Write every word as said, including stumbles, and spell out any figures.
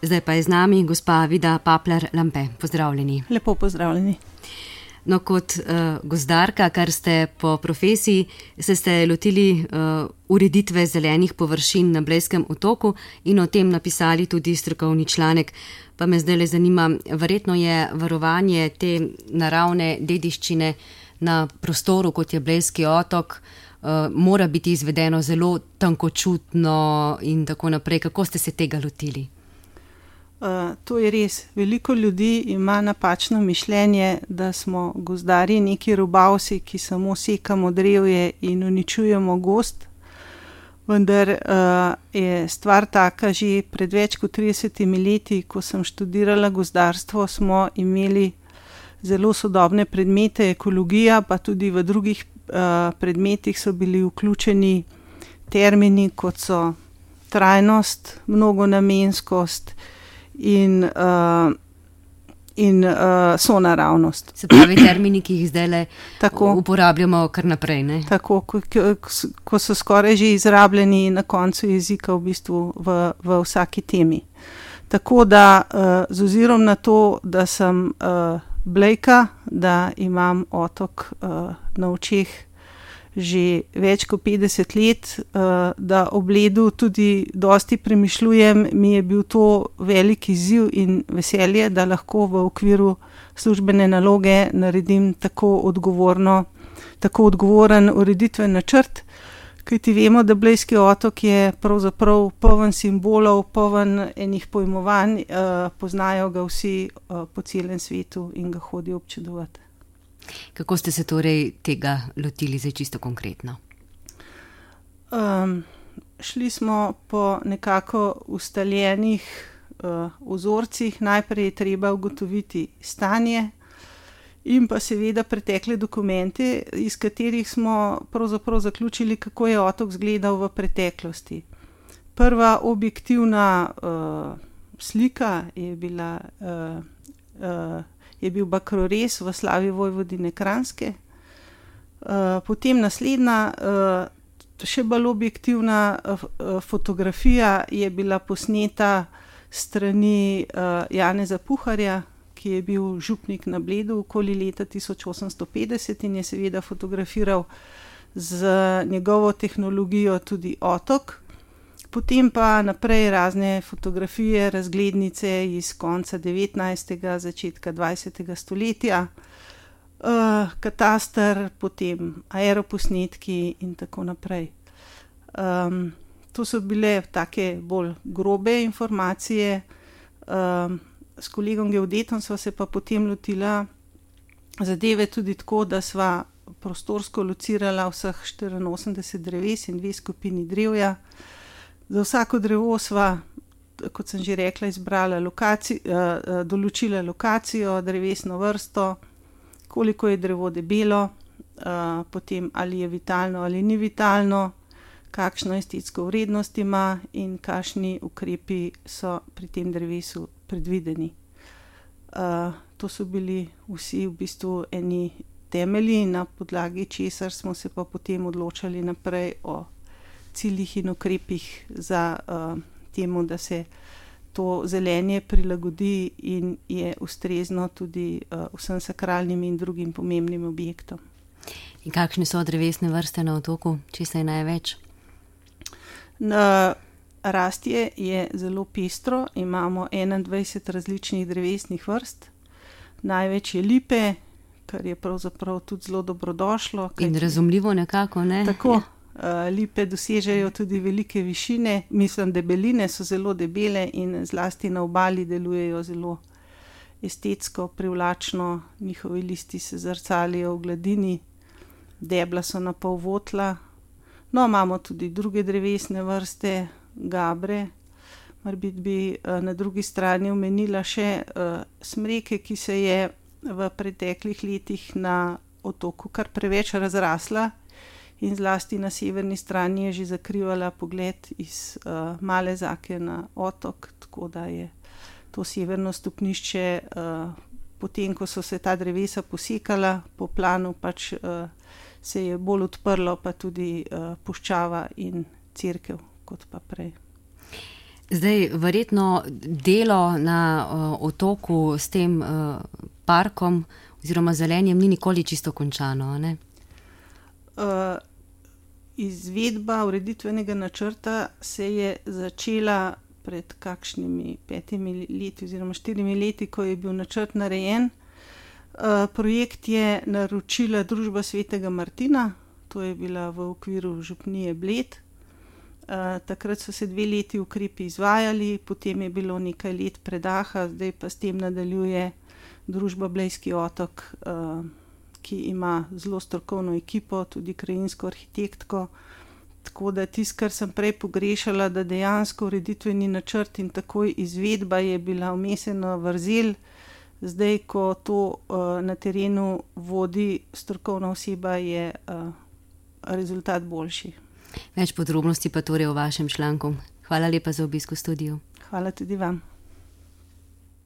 Zdaj pa je z nami gospa Vida Papler-Lampe. Pozdravljeni. Lepo pozdravljeni. No, kot uh, gozdarka, kar ste po profesiji, se ste lotili uh, ureditve zelenih površin na Blejskem otoku in o tem napisali tudi strokovni članek. Pa me zdaj le zanima, verjetno je varovanje te naravne dediščine na prostoru, kot je Blejski otok, uh, mora biti izvedeno zelo tankočutno in tako naprej. Kako ste se tega lotili? Uh, to je res. Veliko ljudi ima napačno mišljenje, da smo gozdarji neki rubavsi, ki samo sekamo drevje in uničujemo gozd. Vendar uh, je stvar taka, že pred več kot tridesetimi leti, ko sem študirala gozdarstvo, smo imeli zelo sodobne predmete, ekologija, pa tudi v drugih uh, predmetih so bili vključeni termini, kot so trajnost, mnogonamenskost in, uh, in uh, sonaravnost. Se pravi termini, ki jih zdaj le uporabljamo kar naprej, ne? Tako, ko, ko so skoraj že izrabljeni na koncu jezika v bistvu v, v vsaki temi. Tako da uh, z ozirom na to, da sem uh, Blejka, da imam otok uh, na očeh že več kot petdeset let, da ob ledu tudi dosti premišljujem, mi je bil to velik izziv in veselje, da lahko v okviru službene naloge naredim tako odgovorno, tako odgovoren ureditven načrt, kajti vemo, da Blejski otok je pravzaprav poln simbolov, poln enih pojmovanj, poznajo ga vsi po celem svetu in ga hodijo občudovati. Kako ste se torej tega lotili zdaj čisto konkretno? Um, šli smo po nekako ustaljenih uh, vzorcih. Najprej je treba ugotoviti stanje in pa seveda pretekle dokumente, iz katerih smo pravzaprav zaključili, kako je otok izgledal v preteklosti. Prva objektivna uh, slika je bila uh, uh, je bil Bakrorez v slavi Vojvodine Kranjske. Uh, potem naslednja, uh, še bolj objektivna uh, fotografija je bila posneta strani uh, Janeza Puharja, ki je bil župnik na Bledu okoli leta tisoč osemsto petdeset in je seveda fotografiral z njegovo tehnologijo tudi otok. Potem pa naprej razne fotografije, razglednice iz konca devetnajstega, začetka dvajsetega stoletja, uh, kataster, potem aeroposnetki in tako naprej. Um, to so bile take bolj grobe informacije. Um, s kolegom geodetom sva se pa potem lotila zadeve tudi tako, da sva prostorsko locirala vseh štiriinosemdeset dreves in dve skupini drevja. Za vsako drevo sva, kot sem že rekla, izbrala lokacijo, uh, določila lokacijo, drevesno vrsto, koliko je drevo debelo, uh, potem ali je vitalno ali ni vitalno, kakšno estetsko vrednost ima in kakšni ukrepi so pri tem drevesu predvideni. Uh, to so bili vsi v bistvu eni temelji, na podlagi česar smo se pa potem odločali naprej o ciljih in ukrepih za uh, temu, da se to zelenje prilagodi in je ustrezno tudi uh, vsem sakralnim in drugim pomembnim objektom. In kakšne so drevesne vrste na otoku, če se je največ? Na rastje je zelo pestro, imamo enaindvajset različnih drevesnih vrst, največ je lipe, kar je pravzaprav tudi zelo dobrodošlo. In razumljivo nekako, ne? Tako. Uh, lipe dosežejo tudi velike višine, mislim, debeline so zelo debele in zlasti na obali delujejo zelo estetsko, privlačno, njihovi listi se zrcalijo v gladini, debla so na pol votla. No, imamo tudi druge drevesne vrste, gabre, morbiti bi uh, na drugi strani omenila še uh, smreke, ki se je v preteklih letih na otoku kar preveč razrasla in zlasti na severni strani je že zakrivala pogled iz uh, Male Zake na otok, tako da je to severno stopnišče, uh, potem ko so se ta drevesa posekala po planu, pač uh, se je bolj odprlo, pa tudi uh, puščava in cerkev kot pa prej. Zdaj, verjetno delo na uh, otoku s tem uh, parkom oziroma zelenjem ni nikoli čisto končano, ne? Uh, izvedba ureditvenega načrta se je začela pred kakšnimi petimi leti oziroma štirimi leti, ko je bil načrt narejen. Uh, projekt je naročila družba Svetega Martina, to je bila v okviru župnije Bled. Uh, takrat so se dve leti ukrepi izvajali, potem je bilo nekaj let predaha, zdaj pa s tem nadaljuje družba Blejski otok, uh, ki ima zelo strokovno ekipo, tudi krajinsko arhitektko. Tako da tisto, kar sem prej pogrešala, da dejansko ureditveni načrt in takoj izvedba je bila vmesena vrzel, zdaj, ko to uh, na terenu vodi strokovna oseba, je uh, rezultat boljši. Več podrobnosti pa torej o vašem članku. Hvala lepa za obisk v studiu. Hvala tudi vam.